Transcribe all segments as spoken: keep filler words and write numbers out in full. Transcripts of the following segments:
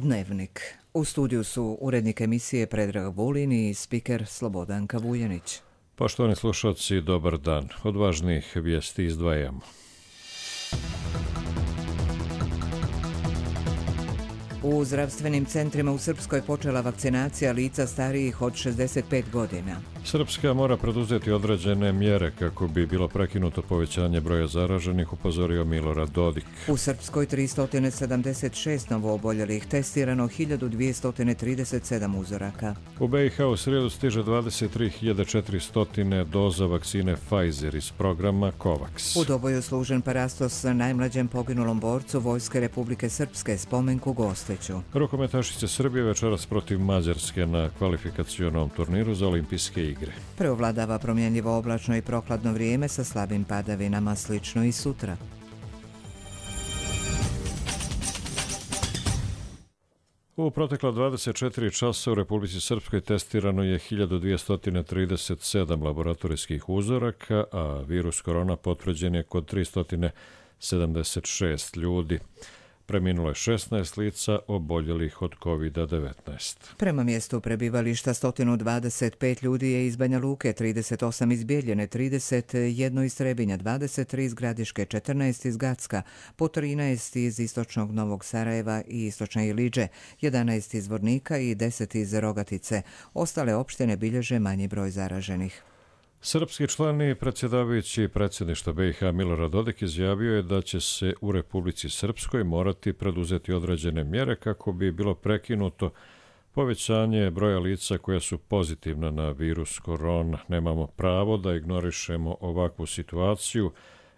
Dnevnik. U studiju su urednik emisije Predrag Vulin i spiker Slobodanka Vujanić. Poštovani slušalci, dobar dan. Od važnih vijesti izdvajamo. U zdravstvenim centrima u Srpskoj počela vakcinacija lica starijih od šezdeset pet godina. Srpska mora preduzeti određene mjere kako bi bilo prekinuto povećanje broja zaraženih, upozorio Milorad Dodik. U Srpskoj tristo sedamdeset šest novooboljelih, testirano hiljadu dvjesto trideset sedam uzoraka. U B i H u srijedu stiže dvadeset tri hiljade četiristo doza vakcine Pfizer iz programa COVAX. U Doboju služen parastos najmlađem poginulom borcu Vojske Republike Srpske, Spomenku Gosteću. Rukometašice Srbije večeras protiv Mađarske na kvalifikacionom turniru za olimpijske igre. Preovladava promjenljivo oblačno i prokladno vrijeme sa slabim padavinama, slično i sutra. U protekla dvadeset četiri časa u Republici Srpskoj testirano je hiljadu dvjesto trideset sedam laboratorijskih uzoraka, a virus korona potvrđen je kod tristo sedamdeset šest ljudi. Preminulo je šesnaest lica oboljelih od kovid devetnaest. Prema mjestu prebivališta sto dvadeset pet ljudi je iz Banja Luke, trideset osam iz Bijeljine, trideset jedan iz Trebinja, dvadeset tri iz Gradiške, četrnaest iz Gacka, po trinaest iz istočnog Novog Sarajeva i istočne Iliđe, jedanaest iz Vornika i deset iz Rogatice. Ostale opštine bilježe manji broj zaraženih. Srpski član i predsjedavajući predsjedništva B i H Milorad Dodik izjavio je da će se u Republici Srpskoj morati preduzeti određene mjere kako bi bilo prekinuto povećanje broja lica koja su pozitivna na virus korona. Nemamo pravo da ignorišemo ovakvu situaciju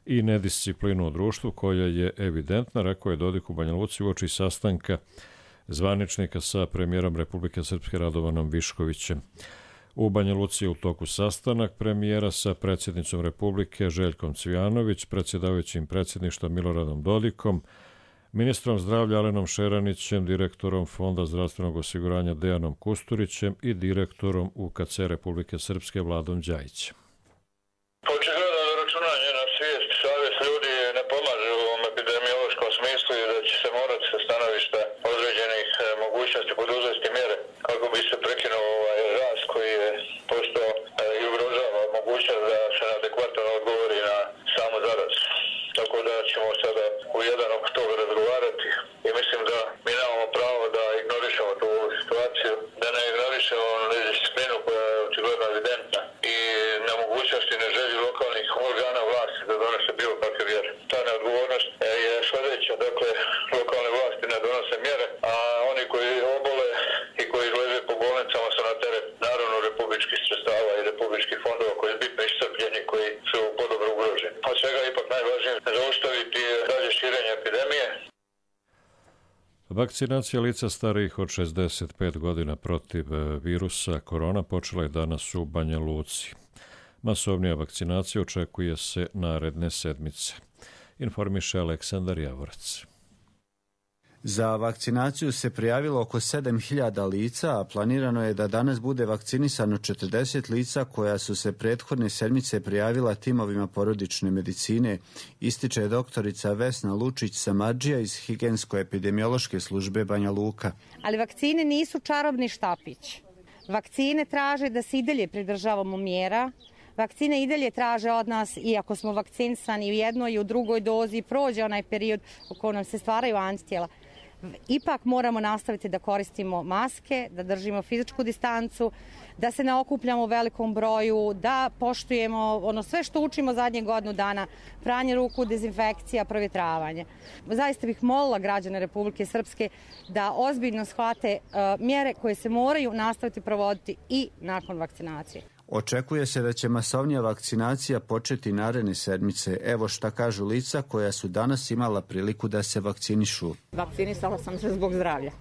i nedisciplinu u društvu koja je evidentna, rekao je Dodik u Banja Luci uoči sastanka zvaničnika sa premijerom Republike Srpske Radovanom Viškovićem. U Banja Luci je u toku sastanak premijera sa predsjednicom Republike Željkom Cvijanović, predsjedavajućim predsjedništva Miloradom Dodikom, ministrom zdravlja Alenom Šeranićem, direktorom Fonda zdravstvenog osiguranja Dejanom Kusturićem i direktorom U K C Republike Srpske Vladom Đajićem. Očigledno da računanje na svijest, savjest ljudi ne pomaže u ovom epidemiološkom smislu i da će se morati sa stanovišta određenih mogućnosti poduzeti mjere kako bi se prekinuo ovaj rast koji je postao i ugrožava mogućnost da se adekvatno odgovori na samu zarazu. Tako da ćemo sada u jedan oko toga razgovarati i mislim da mi nemamo pravo da ignorišemo tu situaciju, da ne ignorišemo disciplinu koja je očigledno evidentna i nemogućnosti i neželji lokalnih organa vlasti da donose bilo kakve mjere. Ta neodgovornost je sljedeća, dakle lokalne vlasti ne donose mjere, a oni koji obole i koji leže po bolnicama su na teret naravno republičkih sredstava i republičkih fondova koji su bitno iscrpljeni, koji su podobno ugroženi. Od svega ipak najvažnije zaustaviti dalje širenje epidemije. Vakcinacija lica starijih od šezdeset pet godina protiv virusa korona počela je danas u Banja Luci. Masovnija vakcinacija očekuje se naredne sedmice, informiše Aleksandar Javorac. Za vakcinaciju se prijavilo oko sedam hiljada lica, a planirano je da danas bude vakcinisano četrdeset lica koja su se prethodne sedmice prijavila timovima porodične medicine, ističe doktorica Vesna Lučić-Samardžija iz Higijensko-epidemiološke službe Banja Luka. Ali vakcine nisu čarobni štapić. Vakcine traže da se i dalje pridržavamo mjera. Vakcine i dalje traže od nas, iako smo vakcinisani u jednoj i u drugoj dozi, prođe onaj period u kojem nam se stvaraju antitijela. Ipak moramo nastaviti da koristimo maske, da držimo fizičku distancu, da se ne okupljamo u velikom broju, da poštujemo ono sve što učimo zadnje godinu dana, pranje ruku, dezinfekcija, provjetravanje. Zaista bih molila građane Republike Srpske da ozbiljno shvate uh, mjere koje se moraju nastaviti provoditi i nakon vakcinacije. Očekuje se da će masovnija vakcinacija početi naredne sedmice. Evo šta kažu lica koja su danas imala priliku da se vakcinišu. Vakcinisala sam se zbog zdravlja.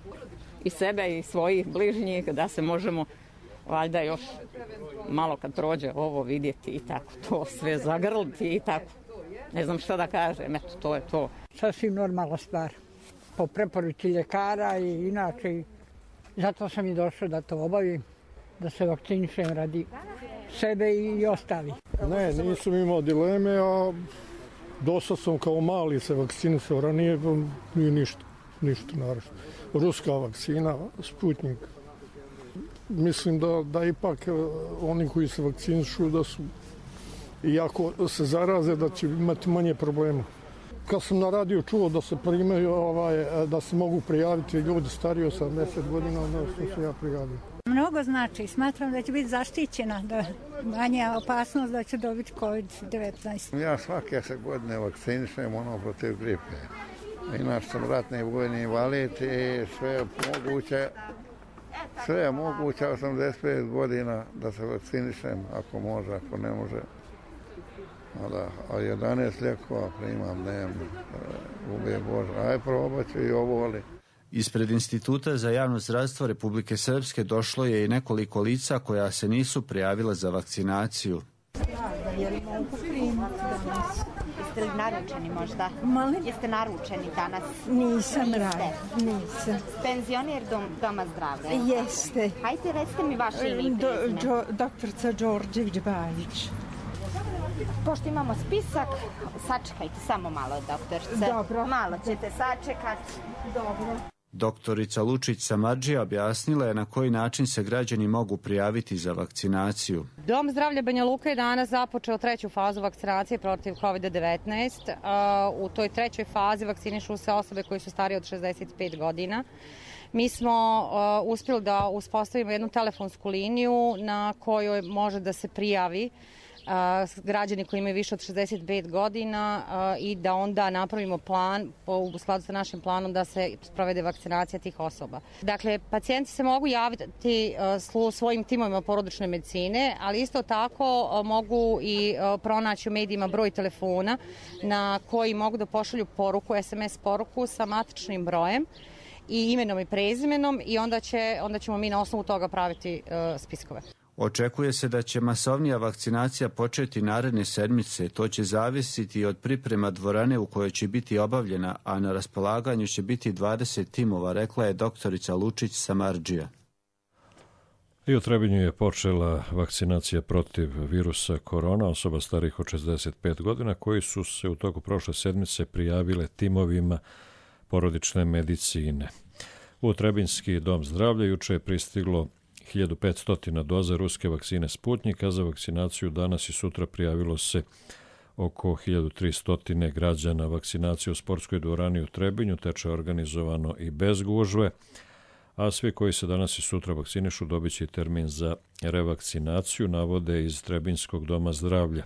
I sebe i svojih bližnjih, da se možemo valjda još malo kad prođe ovo vidjeti i tako to sve zagrliti i tako. Ne znam šta da kažem, eto to je to. Sasvim normalna stvar. Po preporuci ljekara i inače. Zato sam i došao da to obavim, da se vakcinišem radi sebe i ostali. Ne, nisam imao dileme, a dosta sam kao mali se vakcinisao ranije i ništa. ništa naravno. Ruska vakcina, Sputnik. Mislim da, da ipak oni koji se vakcinišu da su, iako se zaraze, da će imati manje problema. Kad sam na radiju čuo da se primaju, ovaj, da se mogu prijaviti ljudi stariji od sedamdeset godina, onda sam se ja prijavio. Mnogo znači, smatram da će biti zaštićena, da manja opasnost da će dobiti kovid devetnaest. Ja svake se godine vakcinišem ono protiv gripe. Inače sam ratni vojni invalid i sve je moguće, sve je moguće osamdeset pet godina da se vakcinišem, ako može, ako ne može. A jedanaest lijekova primam dnevno, ubije Bože. Aj probat ću i ovo, ali... Ispred Instituta za javno zdravstvo Republike Srpske došlo je i nekoliko lica koja se nisu prijavila za vakcinaciju. Jeste li naručeni možda? Molim? Jeste naručeni danas? Nisam rada, nisam. Penzioner dom, doma zdravlja? Jeste. Hajde, recite mi vaše ime i prezime. Doktorica Đorđević-Bajić. Pošto imamo spisak, sačekajte samo malo, doktorice. Dobro. Malo ćete sačekati. Dobro. Doktorica Lučić Samardžija objasnila je na koji način se građani mogu prijaviti za vakcinaciju. Dom zdravlja Banja Luka je danas započeo treću fazu vakcinacije protiv kovid devetnaest. U toj trećoj fazi vakcinišu se osobe koje su starije od šezdeset pet godina. Mi smo uh, uspjeli da uspostavimo jednu telefonsku liniju na kojoj može da se prijavi Uh, građani koji imaju više od šezdeset pet godina uh, i da onda napravimo plan po, u skladu sa našim planom da se sprovede vakcinacija tih osoba. Dakle, pacijenti se mogu javiti uh, svojim timovima porodične medicine, ali isto tako uh, mogu i uh, pronaći u medijima broj telefona na koji mogu da pošalju poruku, es em es poruku sa matičnim brojem i imenom i prezimenom i onda, će, onda ćemo mi na osnovu toga praviti uh, spiskove. Očekuje se da će masovnija vakcinacija početi naredne sedmice. To će zavisiti od priprema dvorane u kojoj će biti obavljena, a na raspolaganju će biti dvadeset timova, rekla je doktorica Lučić Samardžija. I u Trebinju je počela vakcinacija protiv virusa korona osoba starih od šezdeset pet godina koji su se u toku prošle sedmice prijavile timovima porodične medicine. U Trebinjski dom zdravlja juče je pristiglo hiljadu petsto doza ruske vakcine Sputnik, a za vakcinaciju danas i sutra prijavilo se oko hiljadu tristo građana. Vakcinacija u sportskoj dvorani u Trebinju teče organizovano i bez gužve, a svi koji se danas i sutra vakcinišu dobit će termin za revakcinaciju, navode iz Trebinjskog doma zdravlja.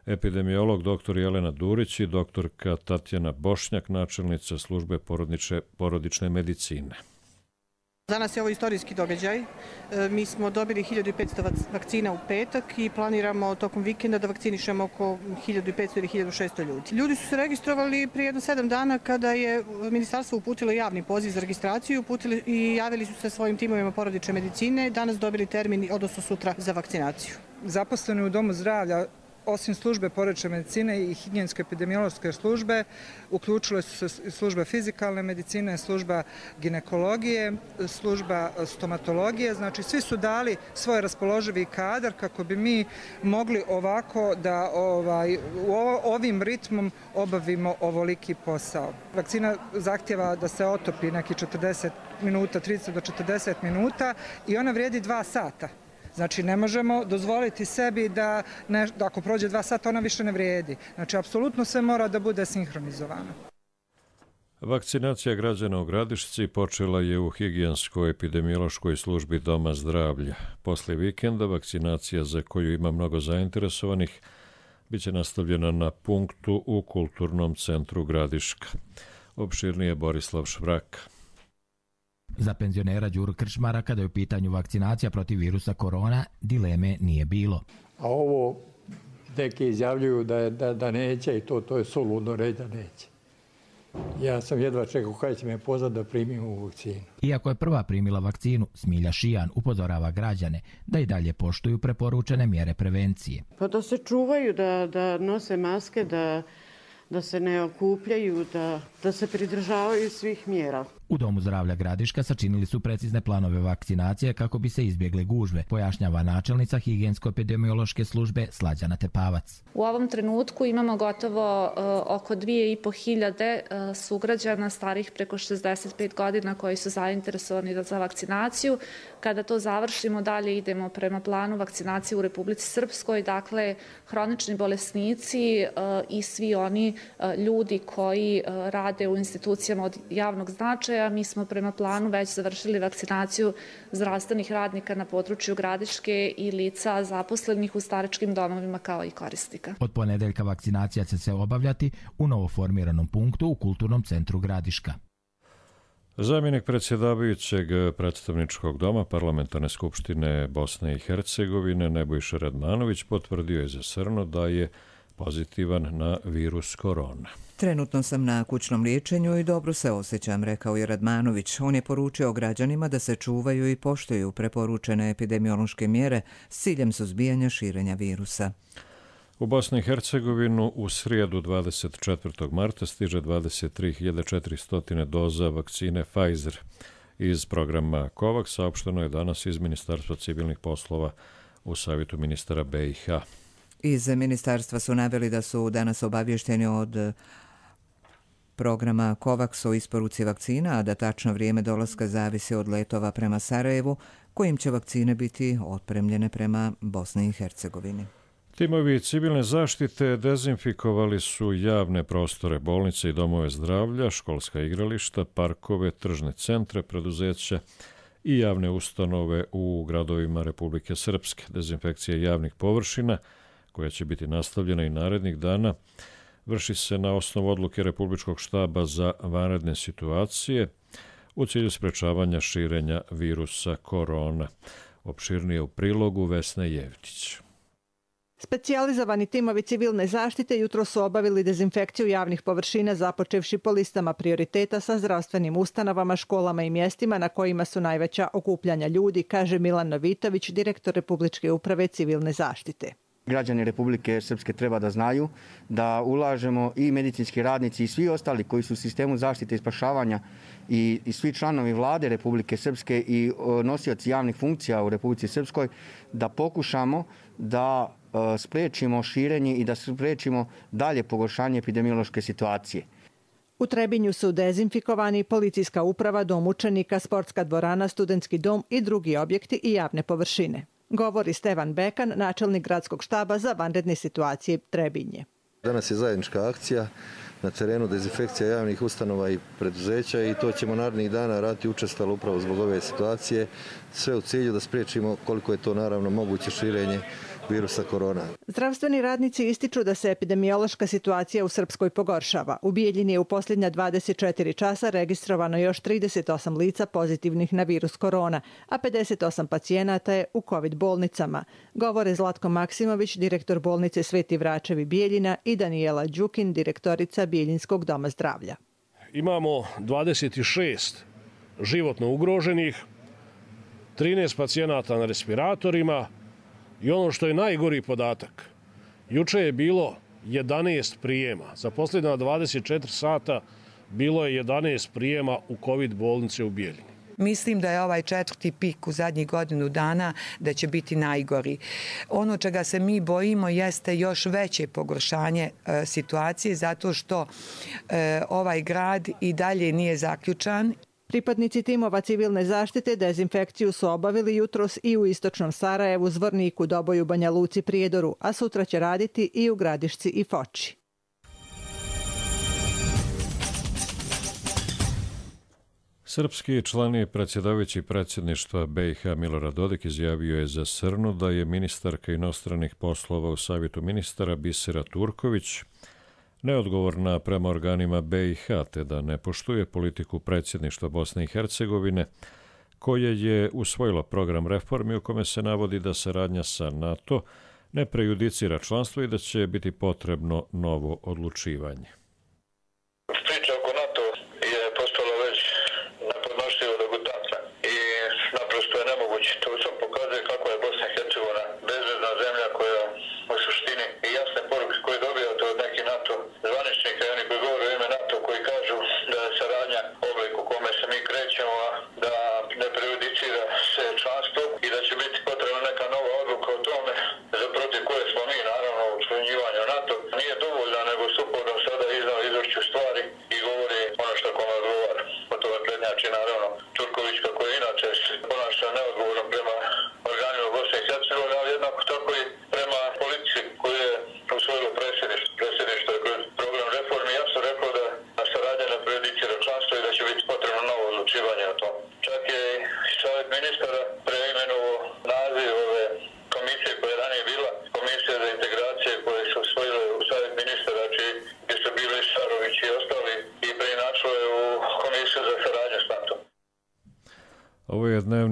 Epidemiolog dr Jelena Durić i doktorka Tatjana Bošnjak, načelnica službe porodične, porodične medicine. Danas je ovo istorijski događaj. Mi smo dobili hiljadu petsto vakcina u petak i planiramo tokom vikenda da vakcinišemo oko hiljadu petsto ili hiljadu šesto ljudi. Ljudi su se registrovali prije jedno sedam dana kada je ministarstvo uputilo javni poziv za registraciju uputili i javili su se svojim timovima porodične medicine. Danas dobili termin, odnosno sutra, za vakcinaciju. Zaposleni u domu zdravlja, osim službe porodične medicine i higijensko-epidemiološke službe, uključile su se služba fizikalne medicine, služba ginekologije, služba stomatologije. Znači, svi su dali svoj raspoloživi kadar kako bi mi mogli ovako da ovaj, ovim ritmom obavimo ovoliki posao. Vakcina zahtjeva da se otopi neki četrdeset minuta, trideset do četrdeset minuta i ona vrijedi dva sata. Znači, ne možemo dozvoliti sebi da, ne, da ako prođe dva sata ona više ne vrijedi. Znači, apsolutno sve mora da bude sinhronizovano. Vakcinacija građana u Gradišci počela je u higijenskoj epidemiološkoj službi doma zdravlja. Posle vikenda vakcinacija, za koju ima mnogo zainteresovanih, biće nastavljena na punktu u Kulturnom centru Gradiška. Opširnije Borislav Švrak. Za penzionera Đuru Krčmara, kada je u pitanju vakcinacija protiv virusa korona, dileme nije bilo. A ovo neki izjavljuju da, je, da, da neće i to, to je suludno reći da neće. Ja sam jedva čekao kada će me pozvati da primim ovu vakcinu. Iako je prva primila vakcinu, Smilja Šijan upozorava građane da i dalje poštuju preporučene mjere prevencije. Pa da se čuvaju, da, da nose maske, da, da se ne okupljaju, da, da se pridržavaju svih mjera. U Domu zdravlja Gradiška sačinili su precizne planove vakcinacije kako bi se izbjegle gužve, pojašnjava načelnica higijensko-epidemiološke službe Slađana Tepavac. U ovom trenutku imamo gotovo uh, oko dvije i po hiljade uh, sugrađana starih preko šezdeset pet godina koji su zainteresovani za vakcinaciju. Kada to završimo, dalje idemo prema planu vakcinacije u Republici Srpskoj, dakle hronični bolesnici uh, i svi oni uh, ljudi koji uh, rade u institucijama od javnog značaja. Mi smo prema planu već završili vakcinaciju zdravstvenih radnika na području Gradiške i lica zaposlenih u staračkim domovima kao i korisnika. Od ponedeljka vakcinacija će se obavljati u novoformiranom punktu u Kulturnom centru Gradiška. Zamjenik predsjedavajućeg predstavničkog doma Parlamentarne skupštine Bosne i Hercegovine Nebojša Radmanović potvrdio je za Srno da je pozitivan na virus korona. Trenutno sam na kućnom liječenju i dobro se osjećam, rekao je Radmanović. On je poručio građanima da se čuvaju i poštuju preporučene epidemiološke mjere s ciljem suzbijanja širenja virusa. U Bosni i Hercegovinu u srijedu dvadeset četvrtog marta stiže dvadeset tri hiljade četiristo doza vakcine Pfizer. Iz programa COVAX saopšteno je danas iz Ministarstva civilnih poslova u savjetu ministara B i H. Iz ministarstva su naveli da su danas obavješteni od programa COVAX o isporuci vakcina, a da tačno vrijeme dolaska zavisi od letova prema Sarajevu, kojim će vakcine biti otpremljene prema Bosni i Hercegovini. Timovi civilne zaštite dezinfikovali su javne prostore, bolnice i domove zdravlja, školska igrališta, parkove, tržne centre, preduzeća i javne ustanove u gradovima Republike Srpske. Dezinfekcija javnih površina, koja će biti nastavljena i narednih dana, vrši se na osnovu odluke Republičkog štaba za vanredne situacije u cilju sprečavanja širenja virusa korona. Opširnije u prilogu Vesne Jevtić. Specijalizovani timovi civilne zaštite jutro su obavili dezinfekciju javnih površina započevši po listama prioriteta sa zdravstvenim ustanovama, školama i mjestima na kojima su najveća okupljanja ljudi, kaže Milan Novitović, direktor Republičke uprave civilne zaštite. Građani Republike Srpske treba da znaju da ulažemo i medicinski radnici i svi ostali koji su u sistemu zaštite i spašavanja i, i svi članovi vlade Republike Srpske i nosioci javnih funkcija u Republici Srpskoj da pokušamo da e, sprečimo širenje i da sprečimo dalje pogoršanje epidemiološke situacije. U Trebinju su dezinfikovani policijska uprava, dom učenika, sportska dvorana, studentski dom i drugi objekti i javne površine. Govori Stevan Bekan, načelnik gradskog štaba za vanredne situacije Trebinje. Danas je zajednička akcija na terenu, dezinfekcija javnih ustanova i preduzeća i to ćemo narednih dana raditi učestalo upravo zbog ove situacije, sve u cilju da spriječimo koliko je to naravno moguće širenje virusa korona. Zdravstveni radnici ističu da se epidemiološka situacija u Srpskoj pogoršava. U Bijeljini je u posljednja dvadeset četiri časa registrovano još trideset osam lica pozitivnih na virus korona, a pedeset osam pacijenata je u COVID bolnicama. Govore Zlatko Maksimović, direktor bolnice Sveti Vračevi Bijeljina i Danijela Đukin, direktorica Bijeljinskog doma zdravlja. Imamo dvadeset šest životno ugroženih, trinaest pacijenata na respiratorima, i ono što je najgori podatak, juče je bilo jedanaest prijema. Za posljednja dvadeset četiri sata bilo je jedanaest prijema u COVID bolnice u Bijeljini. Mislim da je ovaj četvrti pik u zadnjih godinu dana da će biti najgori. Ono čega se mi bojimo jeste još veće pogoršanje e, situacije zato što e, ovaj grad i dalje nije zaključan. Pripadnici timova civilne zaštite dezinfekciju su obavili jutros i u istočnom Sarajevu, Zvorniku, Doboju, Banja Luci, Prijedoru, a sutra će raditi i u Gradišci i Foči. Srpski član i predsjedavajući predsjedništva B i H Milorad Dodik izjavio je za Srnu da je ministarka inostranih poslova u savjetu ministara Bisera Turković neodgovorna prema organima B i H, te da ne poštuje politiku predsjedništva Bosne i Hercegovine, koje je usvojilo program reformi u kome se navodi da saradnja sa NATO ne prejudicira članstvo i da će biti potrebno novo odlučivanje. Priča oko NATO je postala već nepodnošljivo degutantna i naprosto je nemoguće. To samo pokazuje kako je Bosna i Hercegovina bezbedna zemlja koja u suštini i jasne poruke koje dobijate od nekih NATO zvaničnika i oni koji govore o ime NATO koji kažu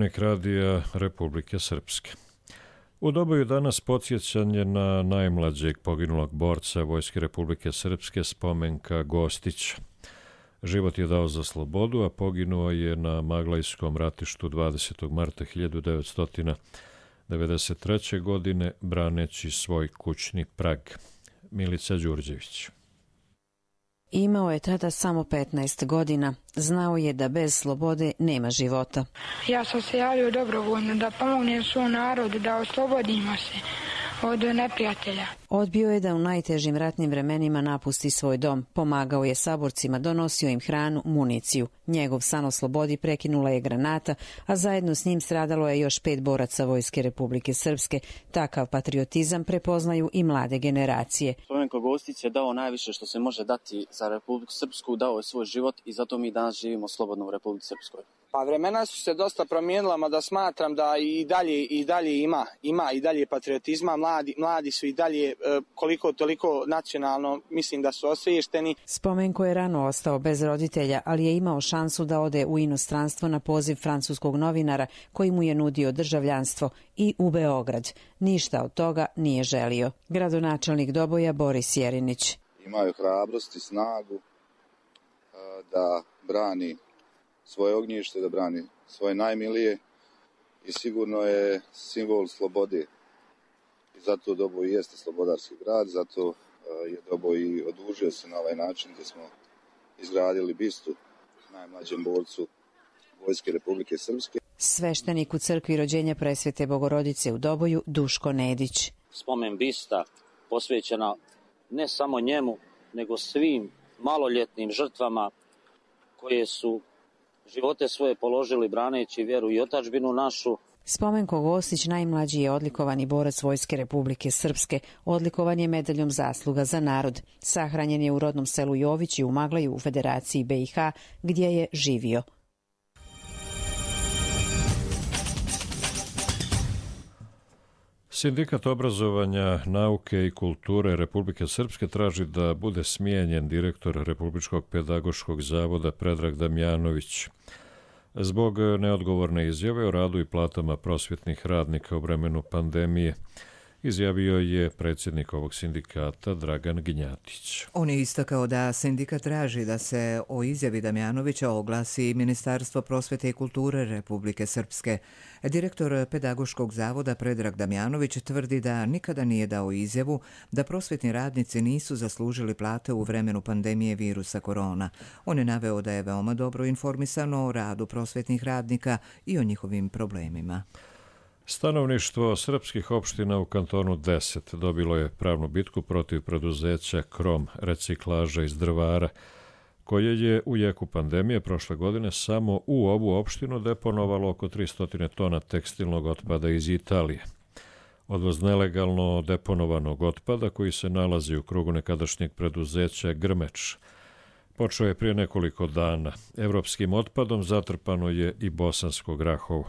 Dnevnik radija Republike Srpske. U Doboju danas podsjećanje na najmlađeg poginulog borca Vojske Republike Srpske Spomenka Gostića. Život je dao za slobodu, a poginuo je na Maglajskom ratištu dvadesetog marta hiljadu devetsto devedeset treće. godine braneći svoj kućni prag. Milica Đurđević. Imao je tada samo petnaest godina. Znao je da bez slobode nema života. Ja sam se javio dobrovoljno da pomognem svom narodu, da oslobodimo se od neprijatelja. Odbio je da u najtežim ratnim vremenima napusti svoj dom. Pomagao je saborcima, donosio im hranu, municiju. Njegov san o slobodi prekinula je granata, a zajedno s njim stradalo je još pet boraca Vojske Republike Srpske. Takav patriotizam prepoznaju i mlade generacije. Spomenko Gostić je dao najviše što se može dati za Republiku Srpsku, dao je svoj život i zato mi danas živimo slobodno u Republici Srpskoj. Pa vremena su se dosta promijenila, mada smatram da i dalje i dalje ima ima i dalje patriotizma. Mladi mladi su i dalje koliko toliko nacionalno, mislim da su osviješteni. Spomenko je rano ostao bez roditelja, ali je imao šansu da ode u inostranstvo na poziv francuskog novinara koji mu je nudio državljanstvo i u Beograd. Ništa od toga nije želio. Gradonačelnik Doboja Boris Jerinić. Imaju hrabrost i snagu da brani svoje ognjište, da brani svoje najmilije i sigurno je simbol slobode. I zato Doboj jeste slobodarski grad, zato je Doboj i odužio se na ovaj način gdje smo izgradili bistu najmlađem borcu Vojske Republike Srpske. Sveštenik u crkvi rođenja Presvete Bogorodice u Doboju Duško Nedić. Spomen bista posvećena ne samo njemu, nego svim maloljetnim žrtvama koje su živote svoje položili braneći vjeru i otadžbinu našu. Spomenko Gostić najmlađi je odlikovani borac Vojske Republike Srpske. Odlikovan je medaljom zasluga za narod. Sahranjen je u rodnom selu Jovići u Maglaju u Federaciji B i H gdje je živio. Sindikat obrazovanja, nauke i kulture Republike Srpske traži da bude smijenjen direktor Republičkog pedagoškog zavoda Predrag Damjanović zbog neodgovorne izjave o radu i platama prosvjetnih radnika u vremenu pandemije, izjavio je predsjednik ovog sindikata Dragan Gnjatić. On je istakao da sindikat traži da se o izjavi Damjanovića oglasi Ministarstvo prosvjete i kulture Republike Srpske. Direktor Pedagoškog zavoda Predrag Damjanović tvrdi da nikada nije dao izjavu da prosvjetni radnici nisu zaslužili plate u vremenu pandemije virusa korona. On je naveo da je veoma dobro informisano o radu prosvjetnih radnika i o njihovim problemima. Stanovništvo srpskih opština u kantonu deset dobilo je pravnu bitku protiv preduzeća Krom reciklaža iz Drvara, koje je u jeku pandemije prošle godine samo u ovu opštinu deponovalo oko tristo tona tekstilnog otpada iz Italije. Odvoz nelegalno deponovanog otpada koji se nalazi u krugu nekadašnjeg preduzeća Grmeč počeo je prije nekoliko dana. Evropskim otpadom zatrpano je i Bosansko Grahovo.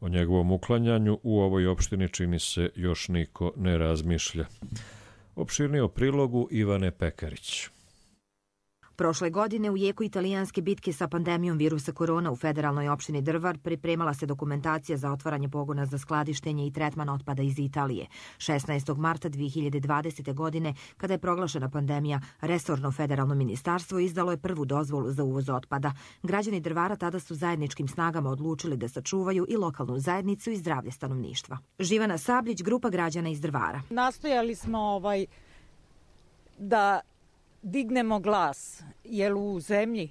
O njegovom uklanjanju u ovoj opštini čini se još niko ne razmišlja. Opširnije o prilogu Ivane Pekarić. Prošle godine u jeku italijanske bitke sa pandemijom virusa korona u federalnoj opštini Drvar pripremala se dokumentacija za otvaranje pogona za skladištenje i tretman otpada iz Italije. šesnaestog marta dve hiljade dvadesete. godine, kada je proglašena pandemija, resorno federalno ministarstvo izdalo je prvu dozvolu za uvoz otpada. Građani Drvara tada su zajedničkim snagama odlučili da sačuvaju i lokalnu zajednicu i zdravlje stanovništva. Živana Sabljić, grupa građana iz Drvara. Nastojali smo ovaj da dignemo glas, jer u zemlji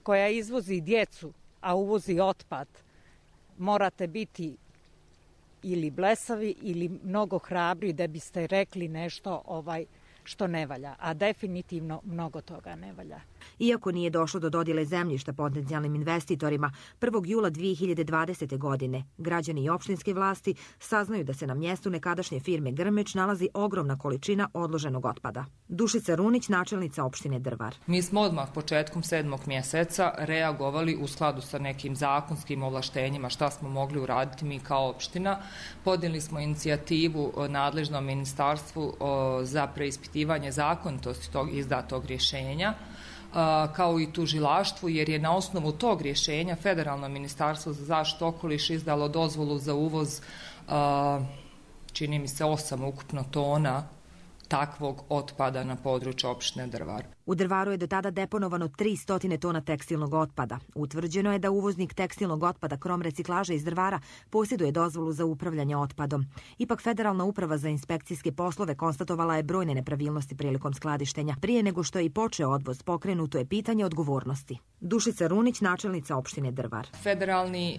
koja izvozi djecu, a uvozi otpad, morate biti ili blesavi ili mnogo hrabri da biste rekli nešto ovaj što ne valja, a definitivno mnogo toga ne valja. Iako nije došlo do dodjele zemljišta potencijalnim investitorima, prvog jula dve hiljade dvadesete. godine građani i opštinske vlasti saznaju da se na mjestu nekadašnje firme Grmeč nalazi ogromna količina odloženog otpada. Dušica Runić, načelnica opštine Drvar. Mi smo odmah početkom sedmog mjeseca reagovali u skladu sa nekim zakonskim ovlaštenjima šta smo mogli uraditi mi kao opština. Podnijeli smo inicijativu nadležnom ministarstvu za preispitivanje zakonitosti tog izdatog rješenja. kao i tužilaštvu, jer je na osnovu tog rješenja Federalno ministarstvo za zaštitu okoliša izdalo dozvolu za uvoz, čini mi se, osam ukupno tona takvog otpada na području opštine Drvar. U Drvaru je do tada deponovano tristo tona tekstilnog otpada. Utvrđeno je da uvoznik tekstilnog otpada Krom reciklaže iz Drvara posjeduje dozvolu za upravljanje otpadom. Ipak Federalna uprava za inspekcijske poslove konstatovala je brojne nepravilnosti prilikom skladištenja. Prije nego što je i počeo odvoz, pokrenuto je pitanje odgovornosti. Dušica Runić, načelnica opštine Drvar. Federalni e,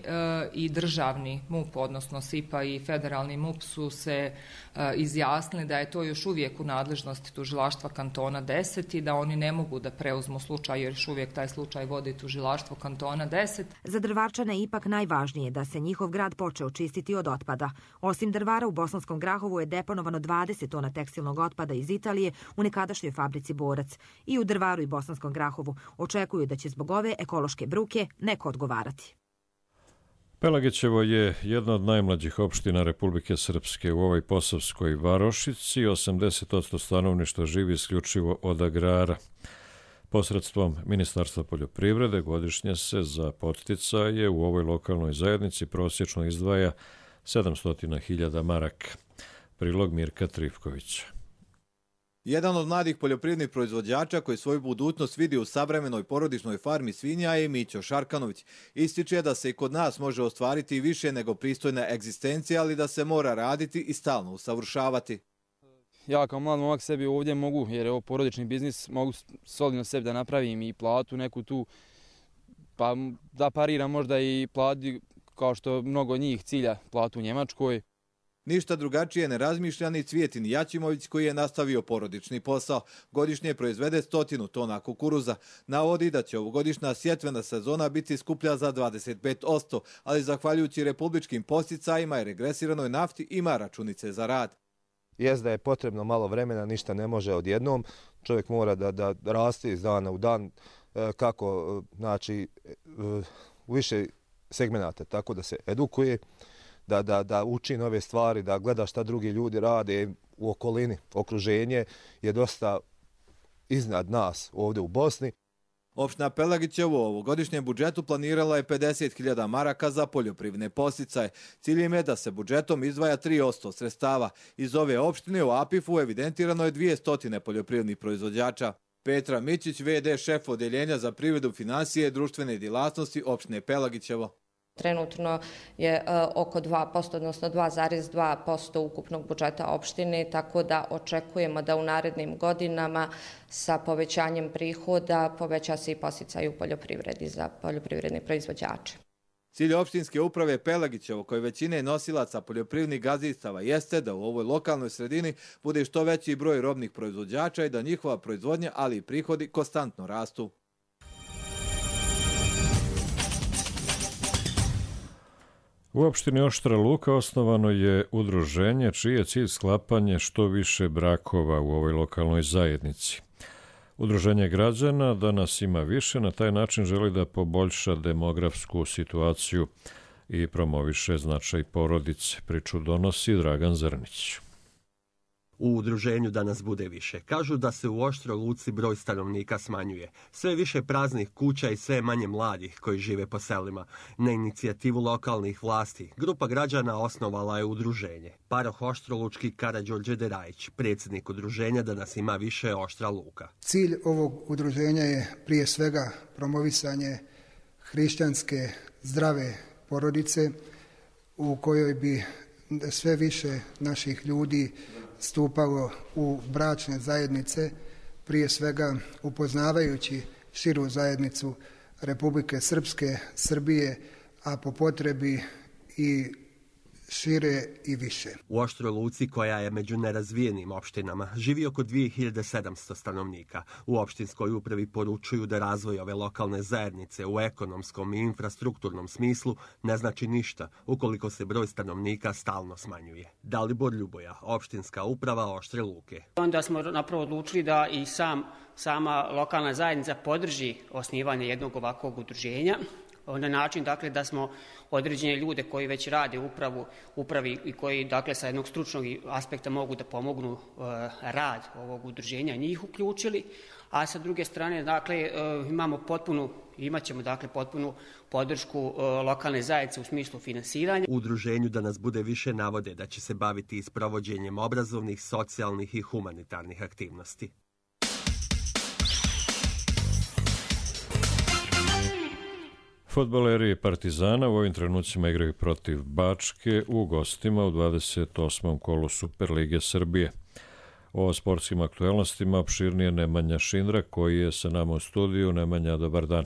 i državni MUP, odnosno SIPA i federalni MUP su se e, izjasnili da je to još uvijek u nadležnosti tužilaštva kantona deset i da oni ne mogu da preuzmu slučaj, jer još uvijek taj slučaj vodi tužilaštvo kantona deset. Za Drvarčane je ipak najvažnije da se njihov grad počeo čistiti od otpada. Osim Drvara, u Bosanskom Grahovu je deponovano dvadeset tona tekstilnog otpada iz Italije u nekadašnjoj fabrici Borac. I u Drvaru i Bosanskom Grahovu očekuju da će zbog ove ekološke bruke neko odgovarati. Pelagićevo je jedna od najmlađih opština Republike Srpske. U ovoj Posavskoj varošici osamdeset posto stanovništva živi isključivo od agrara. Posredstvom Ministarstva poljoprivrede godišnje se za podsticaje u ovoj lokalnoj zajednici prosječno izdvaja sedamsto hiljada maraka. Prilog Mirka Trifkovića. Jedan od mladih poljoprivrednih proizvođača koji svoju budućnost vidi u savremenoj porodičnoj farmi svinja je Mićo Šarkanović. Ističe da se i kod nas može ostvariti više nego pristojna egzistencija, ali da se mora raditi i stalno usavršavati. Ja kao mlad momak sebi ovdje mogu, jer je ovo porodični biznis, mogu solidno sebi da napravim i platu neku tu, pa da pariram možda i plati kao što mnogo njih cilja platu u Njemačkoj. Ništa drugačije ne razmišlja ni Cvijetin Jačimović koji je nastavio porodični posao. Godišnje proizvede stotinu tona kukuruza. Navodi da će ovogodišnja sjetvena sezona biti skuplja za dvadeset pet posto, ali zahvaljujući republičkim posticajima i regresiranoj nafti ima računice za rad. Jest da je potrebno malo vremena, ništa ne može odjednom. Čovjek mora da, da raste iz dana u dan kako, znači, u više segmenata, tako da se edukuje, Da, da, da uči nove stvari, da gleda šta drugi ljudi rade u okolini. Okruženje je dosta iznad nas ovdje u Bosni. Opština Pelagićevo u ovogodišnjem budžetu planirala je pedeset hiljada maraka za poljoprivredne podsticaje. Cilj im je da se budžetom izdvaja tri posto sredstava. Iz ove opštine u A P I F-u evidentirano je dvjesto poljoprivrednih proizvođača. Petra Mićić, ve de šef odeljenja za privredu, finansije i društvene djelatnosti opštine Pelagićevo. Trenutno je oko dva posto, odnosno dva zarez dva posto ukupnog budžeta opštine, tako da očekujemo da u narednim godinama sa povećanjem prihoda poveća se i podsticaj u poljoprivredi za poljoprivredne proizvođače. Cilj opštinske uprave Pelagićevo, koje većine nosilaca poljoprivrednih gazdinstava, jeste da u ovoj lokalnoj sredini bude što veći broj robnih proizvođača i da njihova proizvodnja, ali i prihodi konstantno rastu. U opštini Oštra Luka osnovano je udruženje čiji je cilj sklapanje što više brakova u ovoj lokalnoj zajednici. Udruženje građana danas ima više, na taj način želi da poboljša demografsku situaciju i promoviše značaj porodice. Priču donosi Dragan Zrnić. U udruženju danas bude više. Kažu da se u Oštroj Luci broj stanovnika smanjuje. Sve više praznih kuća i sve manje mladih koji žive po selima. Na inicijativu lokalnih vlasti, grupa građana osnovala je udruženje. Paroh Oštrolučki Karađorđe Derajić, predsjednik udruženja danas ima više Oštra Luka. Cilj ovog udruženja je prije svega promovisanje hrišćanske zdrave porodice u kojoj bi sve više naših ljudi stupalo u bračne zajednice, prije svega upoznavajući širu zajednicu Republike Srpske, Srbije, a po potrebi i šire i više. U Oštroj Luci, koja je među nerazvijenim opštinama, živi oko dvije hiljade sedamsto stanovnika. U opštinskoj upravi poručuju da razvoj ove lokalne zajednice u ekonomskom i infrastrukturnom smislu ne znači ništa ukoliko se broj stanovnika stalno smanjuje. Dalibor Ljuboja, opštinska uprava Oštre Luke. Onda smo napravo odlučili da i sam, sama lokalna zajednica podrži osnivanje jednog ovakvog udruženja na način dakle, da smo određene ljude koji već rade u upravu, upravi i koji dakle, sa jednog stručnog aspekta mogu da pomognu uh, rad ovog udruženja, njih uključili, a sa druge strane dakle, uh, imamo potpunu, imat ćemo dakle, potpunu podršku uh, lokalne zajednice u smislu finansiranja. U udruženju Da nas bude više navode da će se baviti i sprovođenjem obrazovnih, socijalnih i humanitarnih aktivnosti. Fudbaleri Partizana u ovim trenucima igraju protiv Bačke u gostima u dvadeset osmom kolu Superlige Srbije. O sportskim aktuelnostima opširnije Nemanja Šindra koji je sa nama u studiju. Nemanja, dobar dan.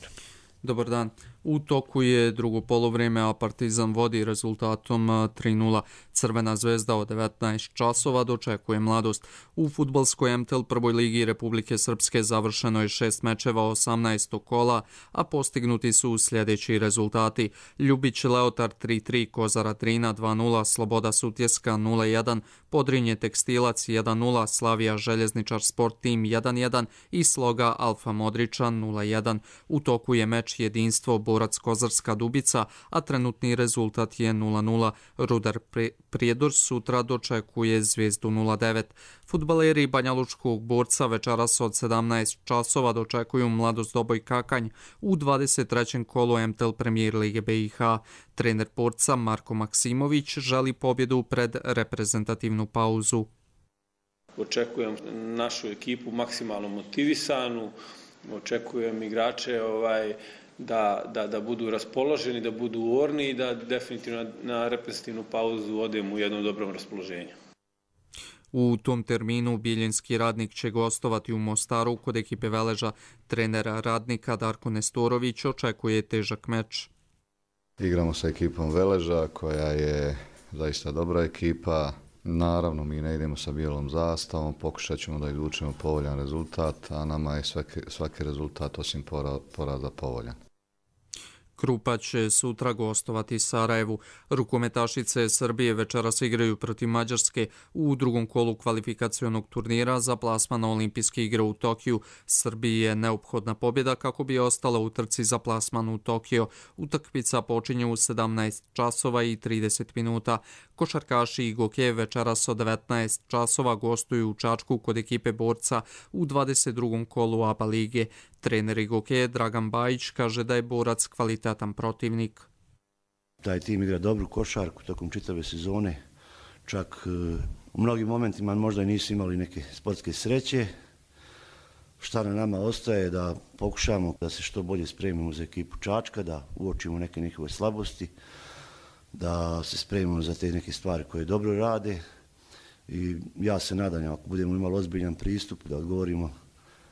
Dobar dan. U toku je drugo poluvreme, a Partizan vodi rezultatom tri nula. Crvena zvezda od devetnaest časova dočekuje Mladost. U fudbalskoj M T L prvoj ligi Republike Srpske završeno je šest mečeva osamnaestog kola, a postignuti su sljedeći rezultati. Ljubić Leotar tri tri, Kozara Drina dva nula, Sloboda Sutjeska nula jedan, Podrinje Tekstilac jedan nula, Slavija Željezničar Sport Tim jedan jedan i Sloga Alfa Modričan nula jedan. U toku je meč Jedinstvo Borac Kozarska Dubica, a trenutni rezultat je nula nula. Rudar Prijedor sutra dočekuje Zvijezdu nula devet. Fudbaleri Banjalučkog Borca večeras od sedamnaest časova dočekuju Mladost Doboj Kakanj u dvadeset trećem kolu M T L Premier Lige B i H. Trener Borca Marko Maksimović želi pobjedu pred reprezentativnu pauzu. Očekujem našu ekipu maksimalno motivisanu, očekujem igrače ovaj, da, da, da budu raspoloženi, da budu orni i da definitivno na reprezentativnu pauzu odemo u jednom dobrom raspoloženju. U tom terminu Bijeljinski Radnik će gostovati u Mostaru kod ekipe Veleža. Trenera Radnika Darko Nestorović očekuje težak meč. Igramo sa ekipom Veleža koja je zaista dobra ekipa. Naravno, mi ne idemo sa bijelom zastavom, pokušat ćemo da izvučemo povoljan rezultat, a nama je svaki, svaki rezultat osim poraza povoljan. Krupa će sutra gostovati Sarajevu. Rukometašice Srbije večeras igraju protiv Mađarske u drugom kolu kvalifikacionog turnira za plasman na olimpijske igre u Tokiju. Srbiji je neophodna pobjeda kako bi ostala u trci za plasman u Tokio. Utakmica počinje u sedamnaest časova i trideset minuta. Košarkaši i Goke večeras od devetnaest časova gostuju u Čačku kod ekipe Borca u dvadeset drugom kolu A B A lige. Trener Goke Dragan Bajić kaže da je Borac kvalitetan protivnik. Taj tim igra dobru košarku tokom čitave sezone. Čak u mnogim momentima možda i nisu imali neke sportske sreće. Šta na nama ostaje da pokušamo da se što bolje spremimo za ekipu Čačka, da uočimo neke njihove slabosti, da se spremimo za te neke stvari koje dobro rade. I ja se nadam, ako budemo imali ozbiljan pristup, da odgovorimo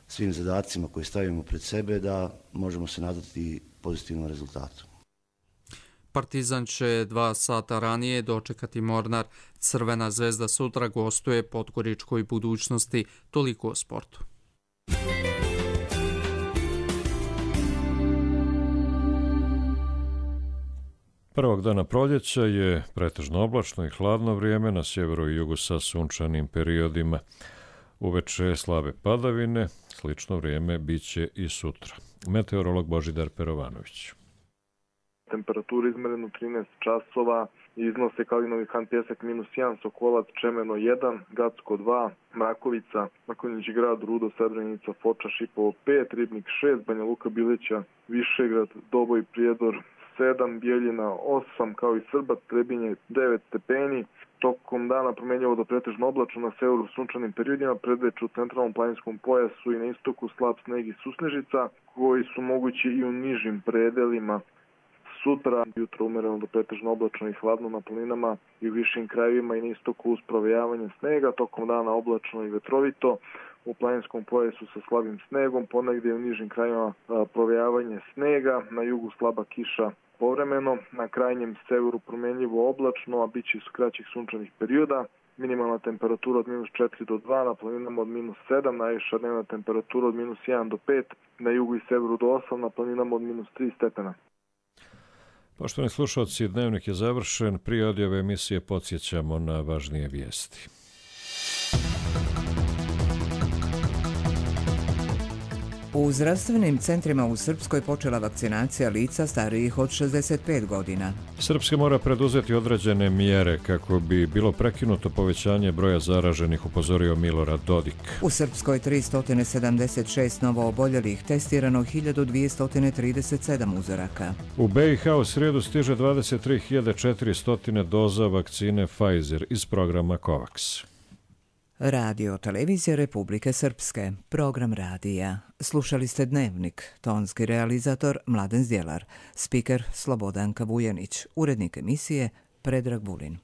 svim zadacima koje stavimo pred sebe, da možemo se nadati pozitivnom rezultatu. Partizan će dva sata ranije dočekati Mornar. Crvena zvezda sutra gostuje Podgoričkoj Budućnosti. Toliko o sportu. Prvog dana proljeća je pretežno oblačno i hladno vrijeme, na sjeveru i jugu sa sunčanim periodima. Uveče slabe padavine, slično vrijeme biće i sutra. Meteorolog Božidar Perovanović. Temperatura izmerena trinaest časova, iznose Kalinovi Han Pjesak minus jedan, Sokolac Čemeno jedan, Gacko dva, Mrakovica, Makonjić grad, Rudo, Srebrenica, Foča, Šipovo pet, Ribnik šest, Banja Luka, Bileća, Višegrad, Doboj, Prijedor sedam, Bijeljina osam, kao i Srbac, Trebinje devet stepeni. Tokom dana promjenjivo do pretežno oblačno, na severu sunčanim periodima, predveče u centralnom planinskom pojasu i na istoku slab sneg i susnežica, koji su mogući i u nižim predelima. Sutra, jutro umereno do pretežno oblačno i hladno na planinama i u višim krajevima i na istoku uz provejavanje snega, tokom dana oblačno i vetrovito, u planinskom pojasu sa slabim snegom, ponegdje u nižim krajevima provejavanje snega, na jugu slaba kiša povremeno, na krajnjem severu promjenjivo oblačno, a bit će iz kraćih sunčanih perioda. Minimalna temperatura od minus četiri do dva, na planinama od minus sedam, najviša dnevna temperatura od minus jedan do pet, na jugu i severu do osam, na planinama od minus tri stepena. Poštovani slušalci, dnevnik je završen. Prije odjave emisije podsjećamo na važnije vijesti. U zdravstvenim centrima u Srpskoj počela vakcinacija lica starijih od šezdeset pet godina. Srpska mora preduzeti određene mjere kako bi bilo prekinuto povećanje broja zaraženih, upozorio Milorad Dodik. U Srpskoj tristo sedamdeset šest novo oboljelih, testirano hiljadu dvjesto trideset sedam uzoraka. U B i H u srijedu stiže dvadeset tri hiljade četiristo doza vakcine Pfizer iz programa COVAX. Radio Televizija Republike Srpske, program radija. Slušali ste Dnevnik, tonski realizator Mladen Zdjelar, spiker Slobodanka Vujanić, urednik emisije Predrag Vulin.